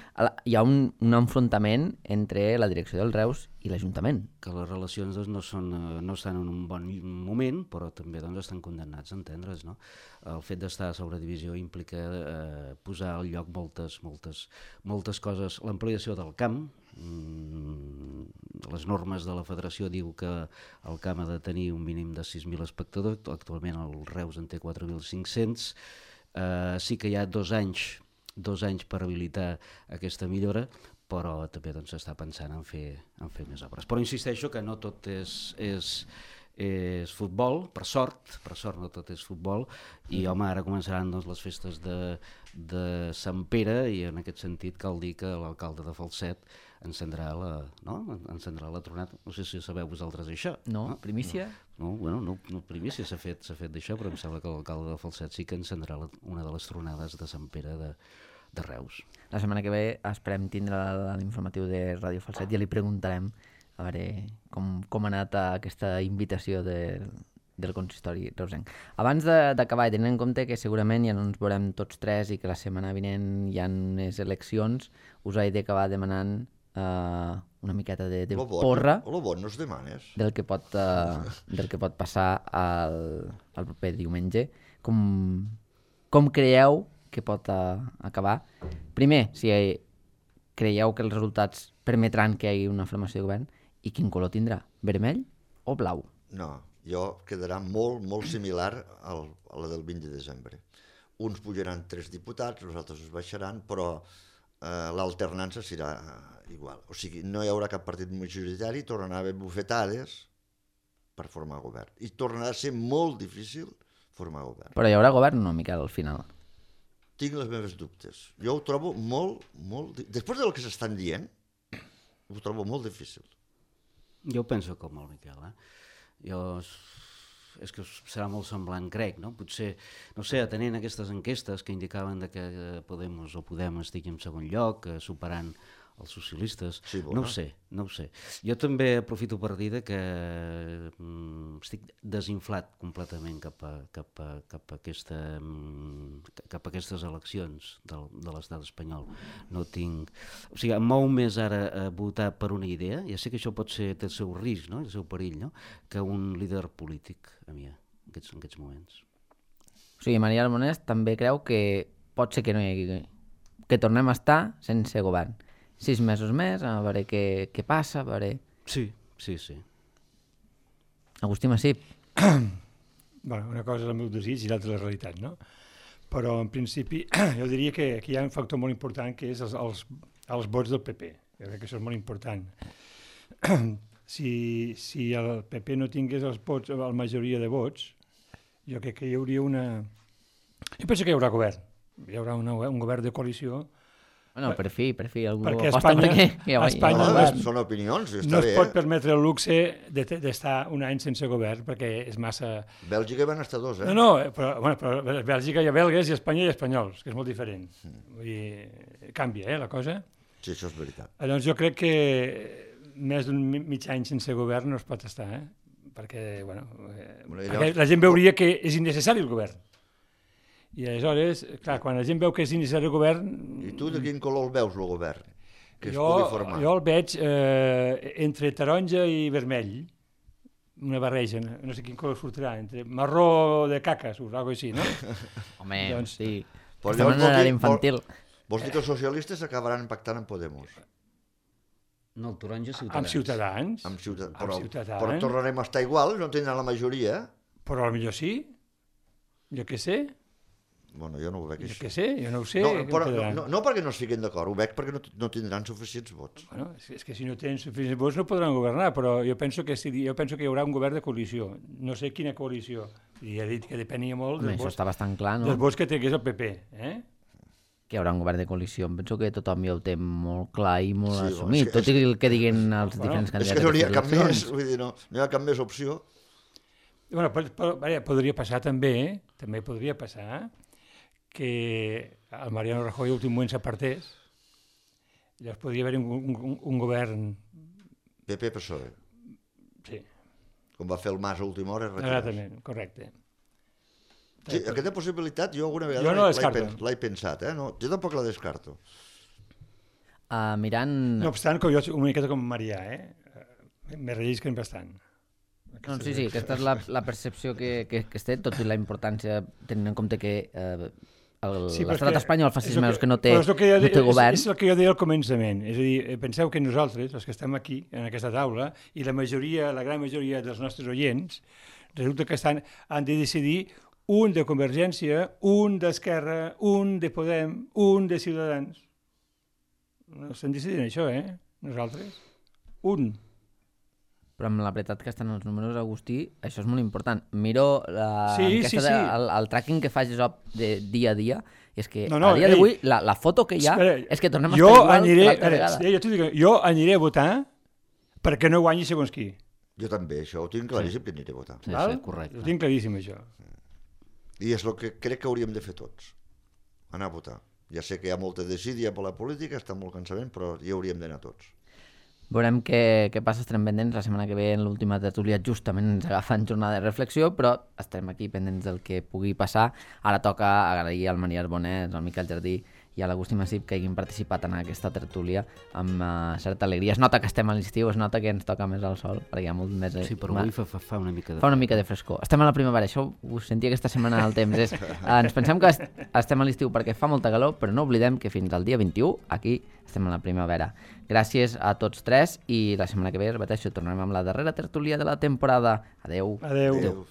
hi ha un enfrontament entre la direcció del Reus i l'Ajuntament. Que les relacions doncs, no estan en un bon moment, però també doncs, estan condemnats a entendre's. No? El fet d'estar a sobredivisió implica posar al lloc moltes coses. L'ampliació del camp, les normes de la federació diu que el camp ha de tenir un mínim de 6.000 espectadors, actualment el Reus en té 4.500. Sí que hi ha 2 anys per habilitar aquesta millora, però també s'està pensant en fer més obres. Però insisteixo que no tot és futbol, per sort no tot és futbol, i home, ara començaran les festes de Sant Pere i en aquest sentit cal dir que l'alcalde de Falset encendrà la tronada. No sé si sabeu vosaltres això. No? Primícia? No, primícia s'ha fet d'això, però em sembla que l'alcalde de Falset sí que encendrà una de les tronades de Sant Pere de Reus. La setmana que ve esperem tindre l'informatiu de Ràdio Falset i ja li preguntarem a veure com ha anat aquesta invitació del consistori reusenc. Abans d'acabar, i tenint en compte que segurament ja no ens veurem tots tres i que la setmana vinent hi ha unes eleccions, us he d'acabar demanant una miqueta de porra no es demanes del que pot passar el proper diumenge. Com creieu que pot acabar? Primer, si creieu que els resultats permetran que hi hagi una formació de govern, i quin color tindrà? Vermell o blau? No, quedarà molt similar a la del 20 de desembre. Uns pujaran 3 diputats, els altres es baixaran, però l'alternança serà igual. O sigui, no hi haurà cap partit majoritari, tornarà a haver bufetades per formar govern. I tornarà a ser molt difícil formar govern. Però hi haurà govern o no, Miquel, al final? Tinc les meves dubtes. Jo ho trobo molt... Després del que s'estan dient, ho trobo molt difícil. Jo penso com el Miquel, és que serà molt semblant, crec, no? Potser, no sé, atenent aquestes enquestes que indicaven que Podem estigui en segon lloc, superant els socialistes, sí, no ho sé. Jo també aprofito per dir que estic desinflat completament cap a aquestes eleccions de l'estat espanyol. No tinc... O sigui, em mou més ara a votar per una idea, ja sé que això té el seu risc, no? El seu perill, no? Que un líder polític, a mi, en aquests moments. O sigui, Maria Almonés també creu que pot ser que no hi hagi... que tornem a estar sense govern. 6 mesos més, a veure què passa, a veure... Sí. Agustí Massip. Bueno, una cosa és el meu desig i l'altra la realitat, no? Però, en principi, jo diria que aquí hi ha un factor molt important, que és els vots del PP. Jo crec que això és molt important. Si el PP no tingués la majoria de vots, jo crec que hi hauria una... Jo penso que hi haurà govern. Hi haurà un govern de coalició. Bueno, per fi, algú aposta perquè... Espanya són opinions, no es pot permetre el luxe d'estar un any sense govern, perquè és massa... Bèlgica van estar 2, No, però Bèlgica hi ha belgues i Espanya hi ha espanyols, que és molt diferent. Vull dir, canvia, la cosa. Sí, això és veritat. Doncs jo crec que més d'un mig any sense govern no es pot estar, perquè Bueno, perquè la gent veuria que és innecessari el govern. I aleshores, clar, quan la gent veu que és innecessari el govern... I tu de quin color el veus, el govern? Que es jo pugui formar? el veig entre taronja i vermell, una barreja, no sé quin color sortirà, entre marró de caca, surt, alguna cosa així, no? Home, Doncs, sí. Però Estem en l'era infantil. Vols dir que els socialistes acabaran pactant amb Podemos? No, el taronja Ciutadans. amb Ciutadans. Amb Ciutadans. Amb Ciutadans. Però tornarem a estar igual, no tindran la majoria. Però potser sí. Jo què sé. Bueno, jo no ho veig Jo així. què sé, jo no ho sé. No perquè no es fiquin d'acord, ho veig perquè no tindran suficients vots. Bueno, és que si no tenen suficients vots no podran governar, però jo penso que hi haurà un govern de coalició. No sé quina coalició. I he dit que depenia molt Home, això està bastant clar, no? dels vots que tingués el PP. Que hi haurà un govern de coalició. Em penso que tothom ja ho té molt clar i molt Sí, assumit, tot i el que diguin els diferents És candidats. que no n'hi ha a cap aquestes més, eleccions. vull dir, no hi ha cap més opció. Bueno, podria passar també podria passar que el Mariano Rajoy a últim moment s'apartés. Llavors podria haver un govern... PP-PSOE, Sí, com va fer el Mas a última hora. exactament, correcte. Sí, aquesta possibilitat jo alguna vegada Jo no la descarto. l'he pensat, no, jo tampoc la descarto. Mirant... No obstant, com jo una miqueta com Marià, me rellisquen bastant. No, sí, aquesta és la percepció que es té, tot i la importància, tenint en compte que l'estat espanyol fa 6 mesos que no té govern. És el que jo deia al començament. És a dir, penseu que nosaltres, els que estem aquí, en aquesta taula, i la gran majoria dels nostres oients, resulta que han de decidir un de Convergència, un d'Esquerra, un de Podem, un de Ciutadans. No estem decidint això, nosaltres. Un. Però amb la veritat que estan els números, Agustí, això és molt important. Miro el tracking que fa Gesop de dia a dia, i és que a dia d'avui la foto que hi ha és que tornem a estar igual que l'altra vegada. Jo aniré a votar perquè no guanyi segons qui. Jo també, això ho tinc claríssim que aniré a votar. Sí, correcte. Ho tinc claríssim, això. I és el que crec que hauríem de fer tots, anar a votar. Ja sé que hi ha molta desídia per la política, està molt cansament, però hi hauríem d'anar tots. Veurem què passa, estarem pendents. La setmana que ve, en l'última tertúlia, justament ens agafen jornada de reflexió, però estarem aquí pendents del que pugui passar. Ara toca agrair al Maria Arbonès, al Miquel Jardí i a l'Agustí Massip que hagin participat en aquesta tertúlia amb certa alegria. Es nota que estem a l'estiu, es nota que ens toca més el sol, perquè hi ha molt més... Sí, però avui fa una mica de fa una mica de frescor. Estem a la primavera, això ho sentia aquesta setmana al temps. Ens pensem que estem a l'estiu perquè fa molta calor, però no oblidem que fins al dia 21 aquí estem a la primavera. Gràcies a tots tres i la setmana que ve, repeteixo, tornarem amb la darrera tertúlia de la temporada. Adeu. Adeu.